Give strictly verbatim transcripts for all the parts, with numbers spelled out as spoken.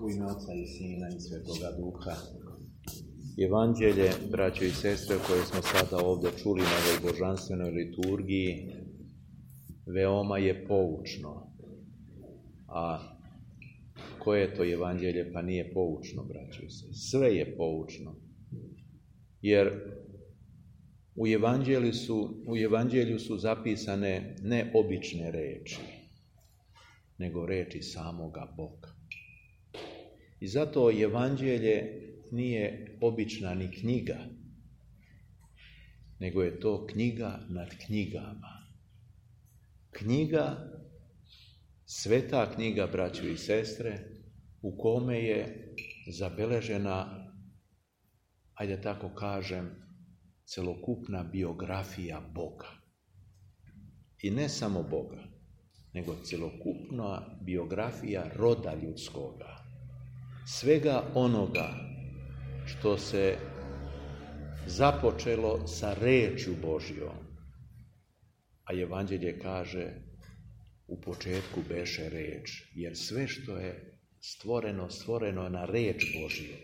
U ime Oca i Sina i Svetoga Duha. Evanđelje, braćo i sestre, koje smo sada ovdje čuli na ovoj božanstvenoj liturgiji, veoma je poučno. A koje je to evanđelje? Pa nije poučno, braćo i sestre. Sve je poučno. Jer u evanđelju su, u evanđelju su zapisane ne obične reči, nego reči samoga Boga. I zato evanđelje nije obična ni knjiga, nego je to knjiga nad knjigama. Knjiga, sveta knjiga, braćo i sestre, u kome je zabeležena, ajde tako kažem, celokupna biografija Boga. I ne samo Boga, nego celokupna biografija roda ljudskoga. Svega onoga što se započelo sa rečju Božjom. A evanđelje kaže, u početku beše reč, jer sve što je stvoreno, stvoreno je na reč Božju.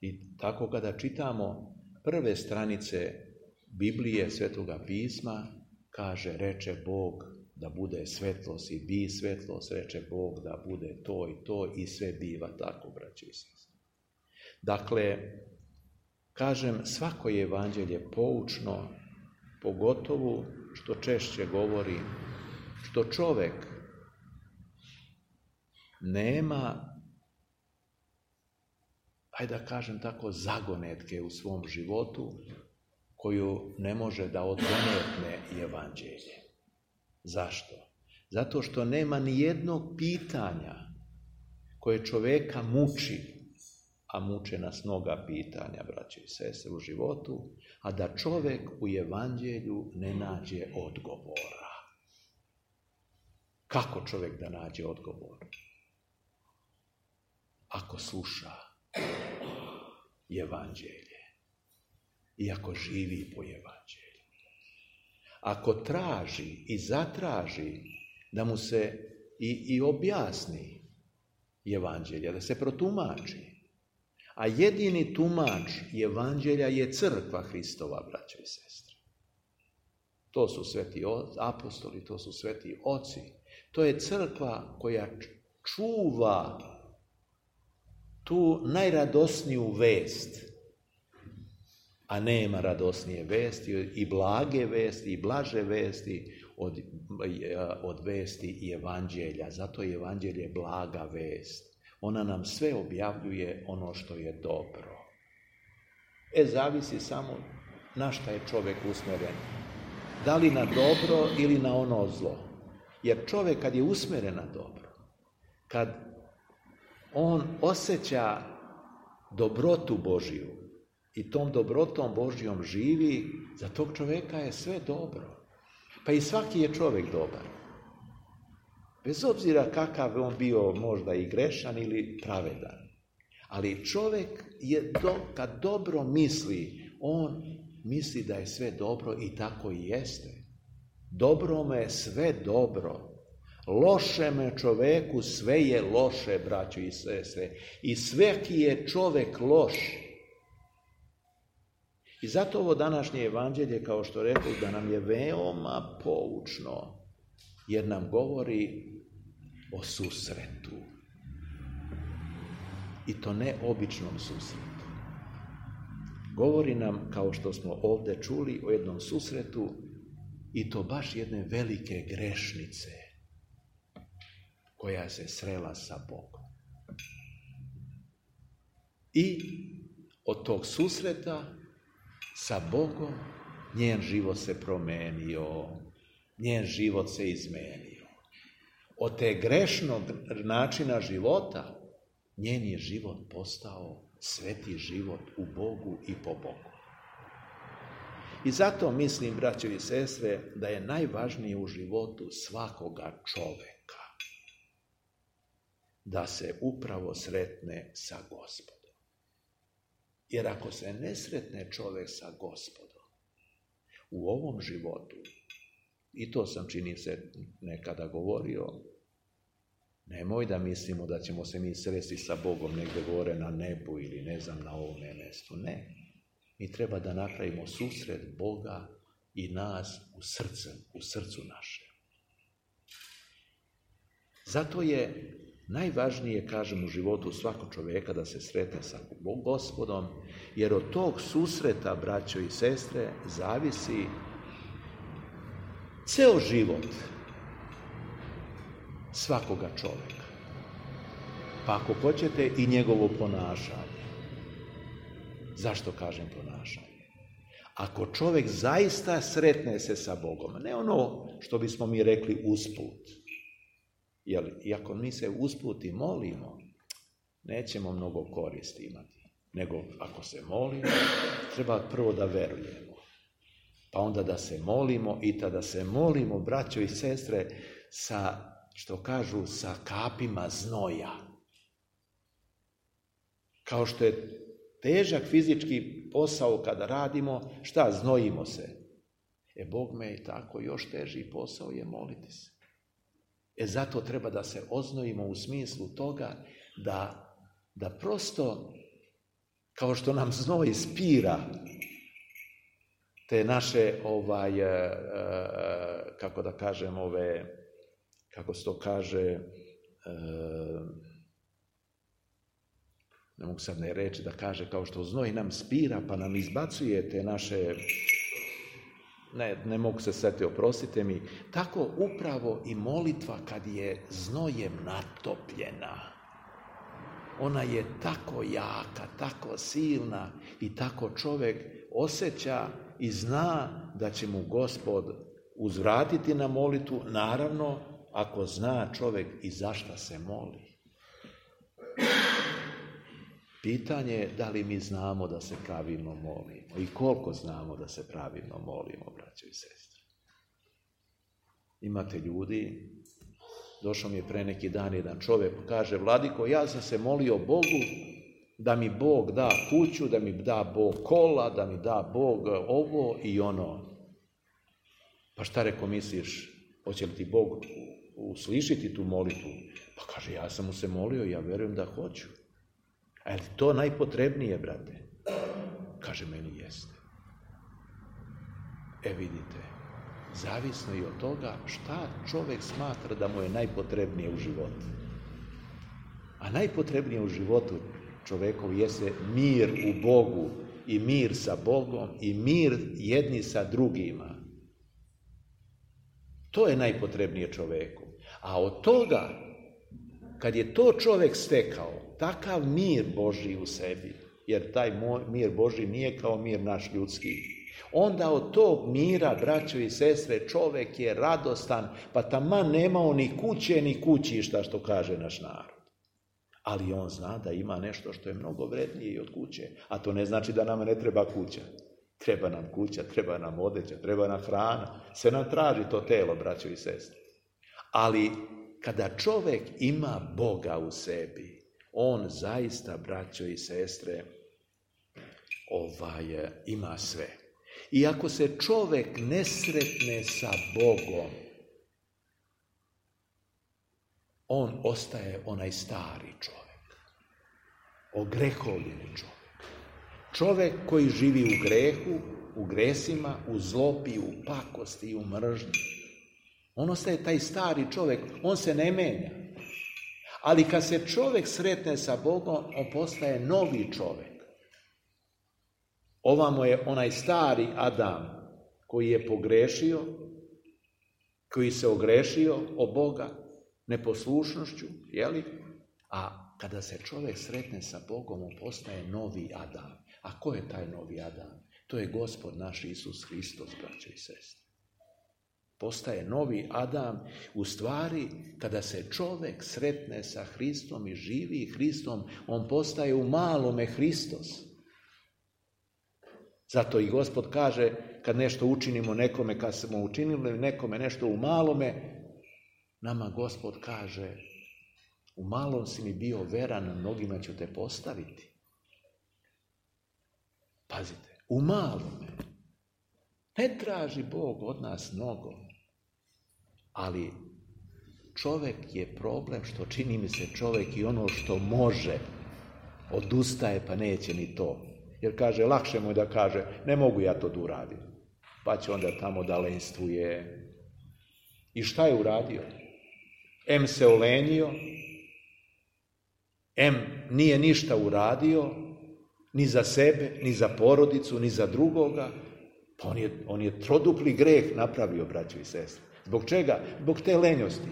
I tako kada čitamo prve stranice Biblije, Svetoga pisma, kaže, reče Bog da bude svetlost i bi svetlost, reče Bog da bude to i to i sve biva tako, braći i sestre. Dakle, kažem, svako je evanđelje poučno, pogotovo što češće govori, što čovjek nema, ajde da kažem tako, zagonetke u svom životu koju ne može da odgonetne evanđelje. Zašto? Zato što nema ni jednog pitanja koje čovjeka muči, a muče nas mnoga pitanja, braće i sestre, u životu, a da čovjek u evanđelju ne nađe odgovora. Kako čovjek da nađe odgovor? Ako sluša evanđelje i ako živi po evanđelju. Ako traži i zatraži da mu se i, i objasni evanđelje, da se protumači. A jedini tumač evanđelja je crkva Hristova, braćo i sestre. To su sveti apostoli, to su sveti oci. To je crkva koja čuva tu najradosniju vest, a nema radosnije vesti i blage vesti i blaže vesti od, od vesti i evanđelja. Zato je evanđelje blaga vest. Ona nam sve objavljuje ono što je dobro. E, zavisi samo na šta je čovjek usmjeren. Da li na dobro ili na ono zlo. Jer čovjek kad je usmjeren na dobro, kad on osjeća dobrotu Božju i tom dobrotom Božjom živi, za tog čovjeka je sve dobro. Pa i svaki je čovjek dobar. Bez obzira kakav on bio možda i grešan ili pravedan. Ali čovjek je do, kad dobro misli, on misli da je sve dobro i tako i jeste. Dobrome je sve dobro. Lošeme čovjeku sve je loše, braćo i sestre. I svaki je čovjek loš. I zato ovo današnje evanđelje, kao što rekao, da nam je veoma poučno, jer nam govori o susretu. I to ne običnom susretu. Govori nam, kao što smo ovdje čuli, o jednom susretu, i to baš jedne velike grešnice koja se srela sa Bogom. I od tog susreta sa Bogom njen život se promenio, njen život se izmenio. Od te grešnog načina života njen je život postao sveti život u Bogu i po Bogu. I zato mislim, braćo i sestre, da je najvažnije u životu svakoga čoveka da se upravo sretne sa Gospodom. Jer ako se ne sretne čovjek sa Gospodom u ovom životu, i to sam čini se nekada govorio, Nemoj da mislimo da ćemo se mi sresti sa Bogom negdje gore na nebu ili ne znam na ovome mjestu. Ne. Mi treba da napravimo susret Boga i nas u srcu, u srcu naše. Zato je najvažnije, kažem, u životu svakog čovjeka da se sretne sa Gospodom, jer od tog susreta, braćo i sestre, zavisi ceo život svakoga čovjeka. Pa ako hoćete i njegovo ponašanje. Zašto kažem ponašanje? Ako čovjek zaista sretne se sa Bogom, ne ono što bismo mi rekli usput, jer iako mi se usput i molimo, nećemo mnogo koristi imati. Nego ako se molimo, treba prvo da verujemo. Pa onda da se molimo i tada se molimo, braćo i sestre, sa, što kažu, sa kapima znoja. Kao što je težak fizički posao kada radimo, šta, znojimo se. E, Bog me i tako još teži posao je moliti se. E, zato treba da se oznojimo u smislu toga da, da prosto, kao što nam znoj spira te naše, ovaj, kako da kažem, ove, kako se to kaže, ne mogu sad ne reći da kaže, kao što znoj nam spira pa nam izbacuje te naše, ne, ne mogu se setiti, oprostite mi, tako upravo i molitva kad je znojem natopljena. Ona je tako jaka, tako silna i tako čovjek osjeća i zna da će mu Gospod uzvratiti na molitvu, naravno ako zna čovjek i zašto se moli. Pitanje je da li mi znamo da se pravilno molimo i koliko znamo da se pravilno molimo, braćo i sestre. Imate ljudi, došao mi je pre neki dan jedan čovjek, kaže, Vladiko, ja sam se molio Bogu da mi Bog da kuću, da mi da Bog kola, da mi da Bog ovo i ono. Pa šta reko misliš, hoće li ti Bog uslišiti tu molitvu? Pa kaže, ja sam mu se molio, ja verujem da hoću. A je li to najpotrebnije, brate? Kaže, meni jeste. E vidite, zavisno i od toga šta čovjek smatra da mu je najpotrebnije u životu. A najpotrebnije u životu čovjekov jeste mir u Bogu i mir sa Bogom i mir jedni sa drugima. To je najpotrebnije čovjeku. A od toga, kad je to čovjek stekao, takav mir Božji u sebi, jer taj mir Božji nije kao mir naš ljudski, onda od tog mira, braćo i sestre, čovjek je radostan, pa taman nemao ni kuće, ni kućišta, što kaže naš narod. Ali on zna da ima nešto što je mnogo vrednije i od kuće, a to ne znači da nama ne treba kuća. Treba nam kuća, treba nam odeća, treba nam hrana, se nam traži to telo, braćo i sestre. Ali kada čovjek ima Boga u sebi, on zaista, braćo i sestre, ovaj, ima sve. I ako se čovjek ne sretne sa Bogom, on ostaje onaj stari čovjek, ogrehovljeni čovjek. Čovjek koji živi u grehu, u gresima, u zlobi, u pakosti i u mržnji. On ostaje taj stari čovjek, on se ne menja. Ali kad se čovjek sretne sa Bogom, on postaje novi čovjek. Ovamo je onaj stari Adam koji je pogrešio, koji se ogrešio o Boga neposlušnošću, jeli? A kada se čovjek sretne sa Bogom, on postaje novi Adam. A ko je taj novi Adam? To je Gospod naš Isus Hristos, braćo i sestre. Postaje novi Adam, u stvari, kada se čovjek sretne sa Hristom i živi Hristom, on postaje u malome Hristos. Zato i Gospod kaže, kad nešto učinimo nekome, kad smo učinili nekome nešto u malome, nama Gospod kaže, u malom si mi bio veran, mnogima ću te postaviti. Pazite, u malome. Ne traži Bog od nas mnogo, ali čovjek je problem što čini mi se čovjek i ono što može odustaje pa neće ni to. Jer kaže, lakše mu je da kaže, ne mogu ja to da uradim. Pa će onda tamo da lenstvuje. I šta je uradio? Em se olenio, em nije ništa uradio, ni za sebe, ni za porodicu, ni za drugoga. Pa on je, on je trodupli greh napravio, braćo i sestre. Zbog čega? Zbog te lenjosti.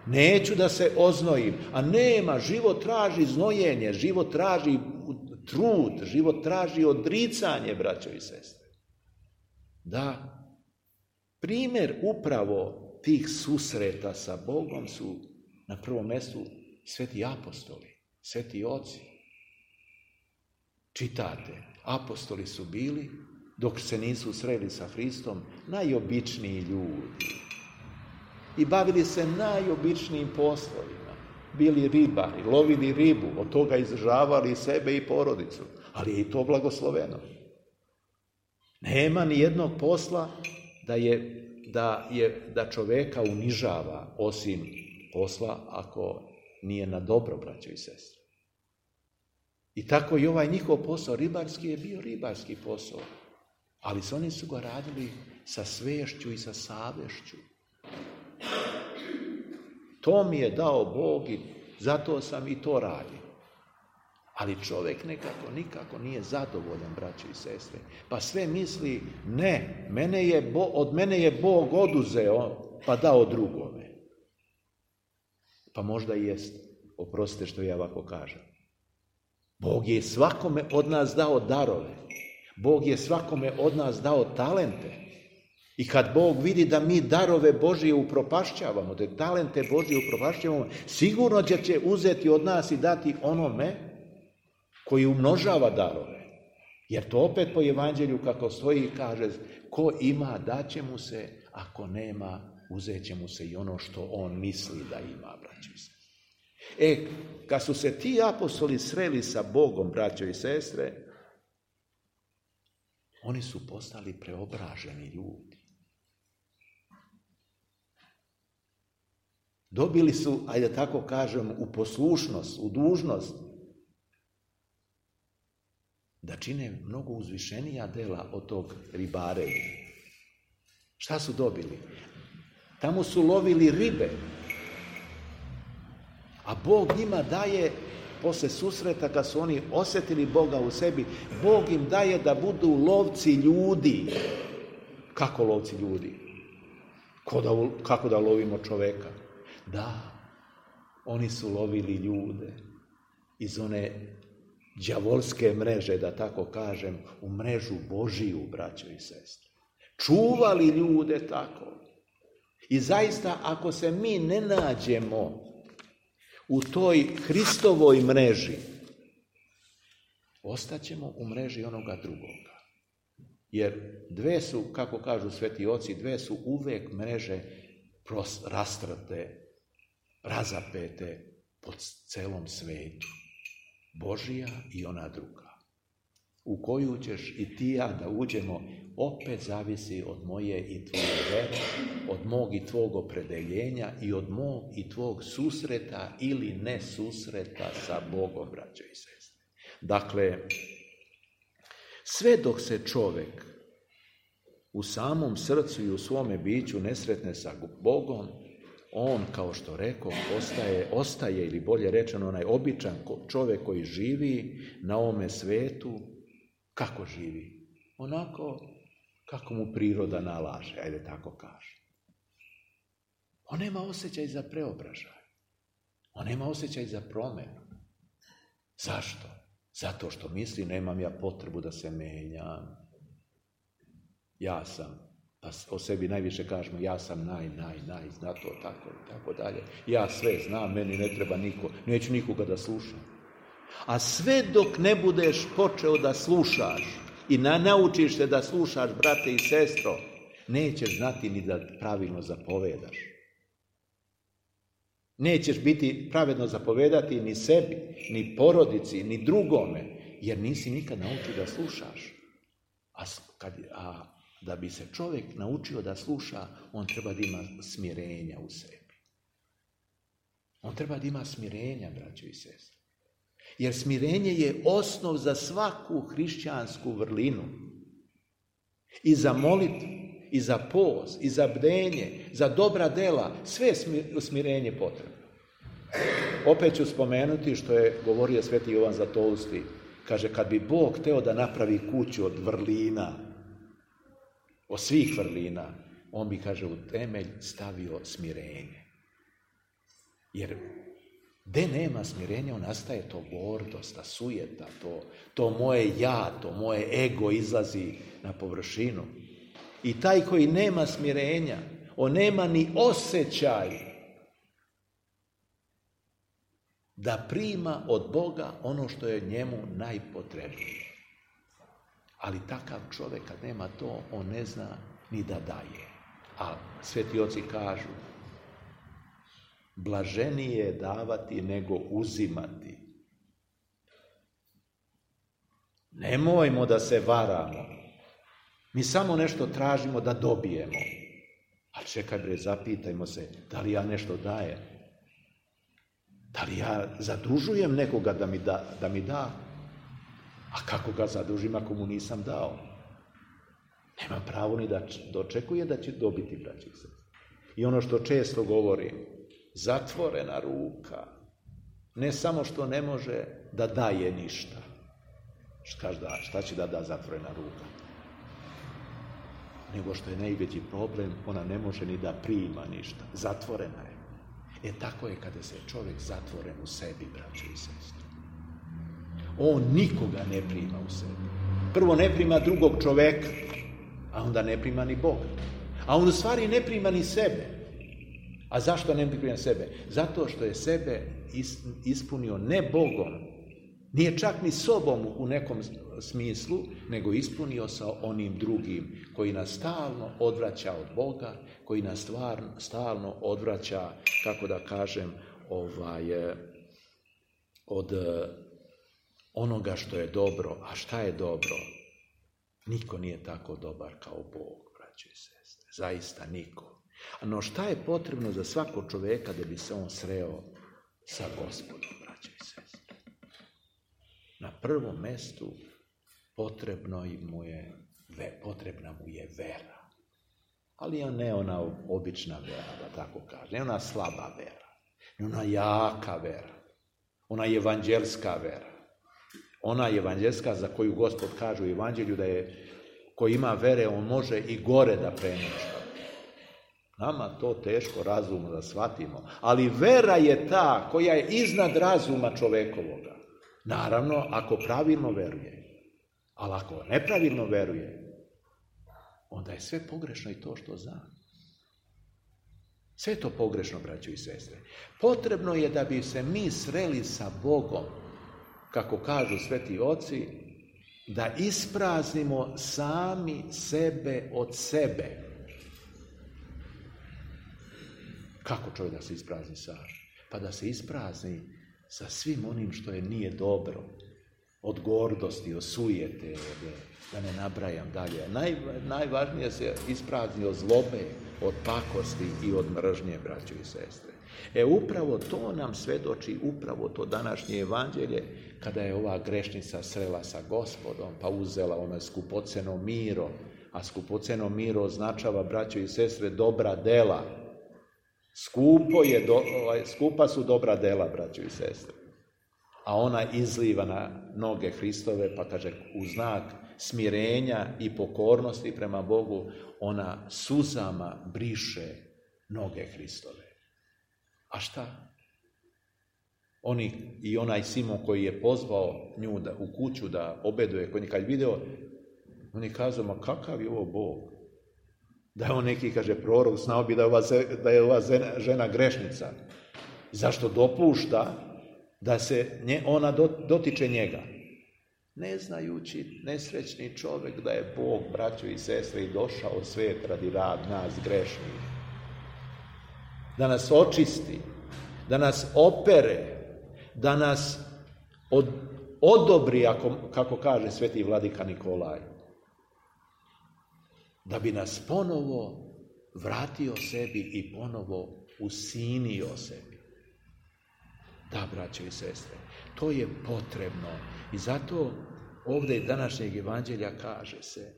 Neću da se oznojim, a nema, život traži znojenje, život traži trud, život traži odricanje, braćo i sestre. Da, primjer upravo tih susreta sa Bogom su na prvom mjestu sveti apostoli, sveti oci. Čitate, apostoli su bili, dok se nisu sreli sa Hristom, najobičniji ljudi. I bavili se najobičnijim poslovima. Bili ribari, lovili ribu, od toga izdržavali sebe i porodicu. Ali je i to blagosloveno. Nema ni jednog posla da, je, da, je, da čoveka unižava, osim posla ako nije na dobro, braćo i sestre. I tako i ovaj njihov posao ribarski je bio ribarski posao. Ali oni su ga radili sa svešću i sa savješću. To mi je dao Bog i zato sam i to radio. Ali čovjek nekako, nikako nije zadovoljan, braćo i sestre. Pa sve misli, ne, mene je Bo, od mene je Bog oduzeo, pa dao drugome. Pa možda i jest, oprostite što ja ovako kažem. Bog je svakome od nas dao darove. Bog je svakome od nas dao talente. I kad Bog vidi da mi darove Božije upropašćavamo, da talente Božije upropašćavamo, sigurno će, će uzeti od nas i dati onome koji umnožava darove. Jer to opet po evanđelju kako stoji kaže, ko ima daće mu se, ako nema uzet će mu se i ono što on misli da ima, braćo i sestre. E, kad su se ti apostoli sreli sa Bogom, braćo i sestre, oni su postali preobraženi ljudi. Dobili su, ajde tako kažem, u poslušnost, u dužnost da čine mnogo uzvišenija dela od tog ribarenja. Šta su dobili? Tamo su lovili ribe, a Bog njima daje, posle susreta kad su oni osjetili Boga u sebi, Bog im daje da budu lovci ljudi. Kako lovci ljudi? Da, kako da lovimo čoveka? Da, oni su lovili ljude iz one đavolske mreže, da tako kažem, u mrežu Božiju, braćo i sestre. Čuvali ljude tako. I zaista, ako se mi ne nađemo u toj Hristovoj mreži, ostaćemo u mreži onoga drugoga. Jer dve su, kako kažu sveti oci, dve su uvek mreže rastrte, razapete po celom svetu. Božija i ona druga. U koju ćeš i ti ja da uđemo, opet zavisi od moje i tvoje vere, od mog i tvog opredeljenja i od mog i tvog susreta ili ne susreta sa Bogom, braćo i sestre. Dakle, sve dok se čovjek u samom srcu i u svome biću ne sretne sa Bogom, on, kao što rekao, ostaje, ostaje ili bolje rečeno, onaj običan čovjek koji živi na ovome svetu. Kako živi? Onako kako mu priroda nalaže, ajde tako kaže. On nema osjećaj za preobražaj. On nema osjećaj za promjenu. Zašto? Zato što misli, nemam ja potrebu da se menjam. Ja sam, pa o sebi najviše kažemo, ja sam naj, naj, naj, zna to, tako i tako dalje. Ja sve znam, meni ne treba niko, neću nikoga da slušam. A sve dok ne budeš počeo da slušaš i na, naučiš se da slušaš, brate i sestro, nećeš znati ni da pravilno zapovedaš. Nećeš biti pravedno zapovedati ni sebi, ni porodici, ni drugome, jer nisi nikad naučio da slušaš. A, kad, a da bi se čovjek naučio da sluša, on treba da ima smirenja u sebi. On treba da ima smirenja, braćo i sestre. Jer smirenje je osnov za svaku hrišćansku vrlinu. I za molitvu, i za post, i za bdenje, za dobra dela, sve je smirenje potrebno. Opet ću spomenuti što je govorio sveti Jovan Zlatousti. Kaže, kad bi Bog hteo da napravi kuću od vrlina, od svih vrlina, on bi, kaže, u temelj stavio smirenje. Jer gde nema smirenja, on nastaje to gordost, ta sujeta, to, to moje ja, to moje ego izlazi na površinu. I taj koji nema smirenja, on nema ni osjećaj da prima od Boga ono što je njemu najpotrebnije. Ali takav čovjek kad nema to, on ne zna ni da daje. A sveti oci kažu, blaženije je davati nego uzimati. Nemojmo da se varamo. Mi samo nešto tražimo da dobijemo. Ali čekaj bre, zapitajmo se, da li ja nešto dajem? Da li ja zadužujem nekoga da mi da, da mi da? A kako ga zadužim ako mu nisam dao? Nema pravo ni da dočekuje da će dobiti, braći se. I ono što često govorim, zatvorena ruka, ne samo što ne može da daje ništa. Šta, šta će da da zatvorena ruka? Nego što je najveći problem, ona ne može ni da prima ništa. Zatvorena je. E tako je kada se čovjek zatvoren u sebi, braći i sestre. On nikoga ne prima u sebi. Prvo ne prima drugog čoveka, a onda ne prima ni Boga. A on u stvari ne prima ni sebe. A zašto ne prima sebe? Zato što je sebe ispunio ne Bogom, nije čak ni sobom u nekom smislu, nego ispunio sa onim drugim koji nas stalno odvraća od Boga, koji nas stvarno, stalno odvraća, kako da kažem, ovaj, od onoga što je dobro. A šta je dobro? Niko nije tako dobar kao Bog, braće i sestre. Zaista niko. No šta je potrebno za svakog čoveka da bi se on sreo sa Gospodom, braće i sestre? Na prvom mestu potrebno mu je, potrebna mu je vera. Ali ne ona obična vera, da tako kaže. Ne ona slaba vera. Ne ona jaka vera. Ona evanđelska vera. Ona evanđelska za koju Gospod kaže u evanđelju da je, ko ima vere, on može i gore da preništa. Nama to teško razumno da shvatimo. Ali vera je ta koja je iznad razuma čovekovoga. Naravno, ako pravilno veruje. Ali ako nepravilno veruje, onda je sve pogrešno i to što zna. Sve to pogrešno, braćo i sestre. Potrebno je da bi se mi sreli sa Bogom, kako kažu sveti oci, da ispraznimo sami sebe od sebe. Kako čovjek da se isprazni sam? Pa da se isprazni sa svim onim što je nije dobro. Od gordosti, od sujete, od, da ne nabrajam dalje. Naj, najvažnije se isprazni od zlobe, od pakosti i od mržnje, braćo i sestre. E upravo to nam svedoči, upravo to današnje evanđelje, kada je ova grešnica srela sa Gospodom, pa uzela ono skupoceno miro, a skupoceno miro označava, braćo i sestre, dobra dela. Skupo je, do, skupa su dobra dela, braćo i sestre. A ona izliva na noge Hristove, pa kaže, u znak smirenja i pokornosti prema Bogu, ona suzama briše noge Hristove. A šta? Oni, i onaj Simon koji je pozvao nju da, u kuću da obeduje, koji kad je video, oni kažu, ma kakav je ovo Bog? Da je on neki, kaže, prorok, znao bi da je ova, da je ova žena grešnica. Zašto dopušta da se nje, ona dotiče njega? Ne znajući nesrećni čovjek da je Bog, braćo i sestre, i došao u svijet radi rad nas grešnih. Da nas očisti, da nas opere, da nas od, odobri, ako, kako kaže sveti vladika Nikolaj, da bi nas ponovo vratio sebi i ponovo usinio sebi. Da, braće i sestre, to je potrebno. I zato ovdje današnjeg evanđelja kaže se,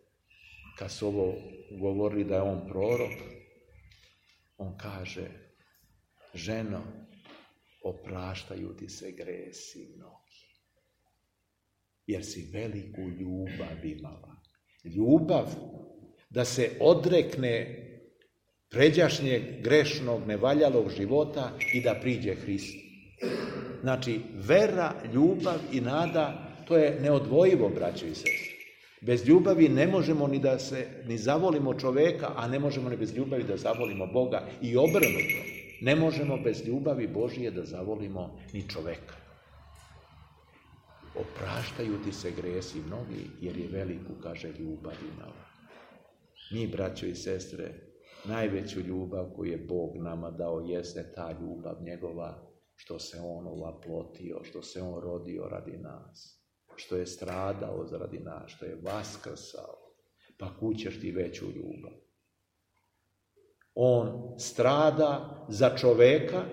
kad su ovo govorili da je on prorok, on kaže, ženo, opraštaju ti se gresi mnogi, jer si veliku ljubav imala. Ljubav da se odrekne pređašnjeg, grešnog, nevaljalog života i da priđe Hrist. Znači, vera, ljubav i nada, to je neodvojivo, braće i sestre. Bez ljubavi ne možemo ni da se ni zavolimo čoveka, a ne možemo ni bez ljubavi da zavolimo Boga. I obrnuto, ne možemo bez ljubavi Božije da zavolimo ni čoveka. Opraštaju ti se gresi mnogi, jer je veliku, kaže, ljubav imala. Mi, braćo i sestre, najveću ljubav koju je Bog nama dao jeste ta ljubav njegova, što se on ovaplotio, što se on rodio radi nas, što je stradao radi nas, što je vaskrsao. Pa kud ćeš ti veću ljubav? On strada za čoveka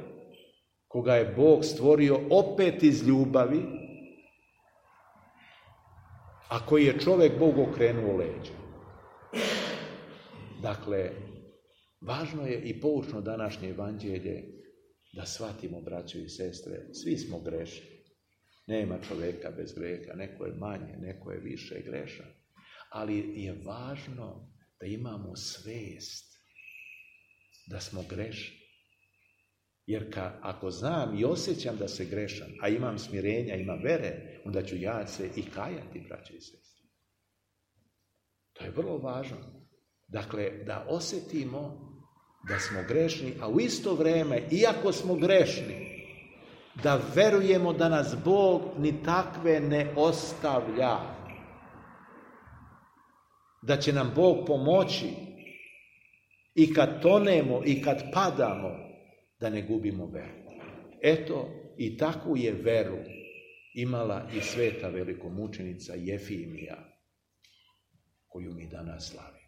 koga je Bog stvorio opet iz ljubavi, a koji je čovjek Bog okrenuo leđa. Dakle, važno je i poučno današnje evanđelje da shvatimo, braćo i sestre, svi smo grešni. Nema čovjeka bez greha, neko je manje, neko je više grešan. Ali je važno da imamo svest da smo grešni. Jer ka, ako znam i osjećam da se grešam, a imam smirenja, imam vere, onda ću ja se i kajati, braće i sestre. To je vrlo važno. Dakle, da osjetimo da smo grešni, a u isto vrijeme, iako smo grešni, da verujemo da nas Bog ni takve ne ostavlja. Da će nam Bog pomoći i kad tonemo i kad padamo, da ne gubimo veru. Eto, i takvu je veru imala i sveta velikomučenica Jefimija, koju mi danas slavimo.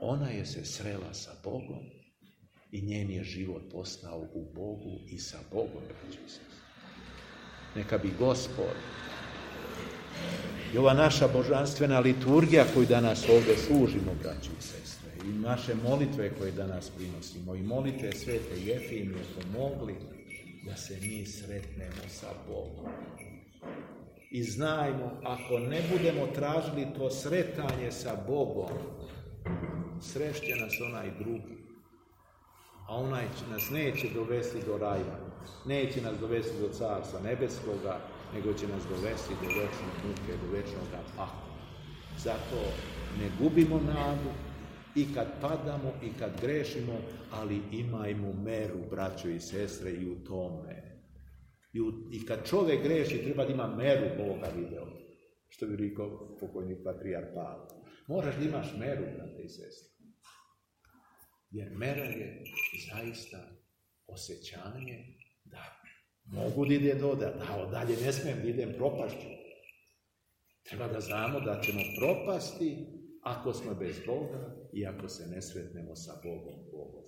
Ona je se srela sa Bogom i njen je život postao u Bogu i sa Bogom. Neka bi Gospod i ova naša božanstvena liturgija koju danas ovdje služimo, braći i sestre, i naše molitve koje danas prinosimo, i molitve svete Jefimije pomogli da se mi sretnemo sa Bogom. I znajmo, ako ne budemo tražili to sretanje sa Bogom, srešće nas onaj drugi, a onaj nas neće dovesti do raja, neće nas dovesti do Carstva nebeskoga, nego će nas dovesti do večne muke, do večnog pakla. Zato ne gubimo nadu i kad padamo i kad grešimo, ali imajmo meru, braćo i sestre, i u tome. I, u, i kad čovjek greši, treba da ima meru Boga video. Što bi rekao pokojni patrijarh Pavle. Moraš da imaš meru, brate i sestre. Jer mera je zaista osjećanje da mogu da ide do da, da dalje ne smijem da idem propašću. Treba da znamo da ćemo propasti ako smo bez Boga i ako se ne sretnemo sa Bogom Bogom.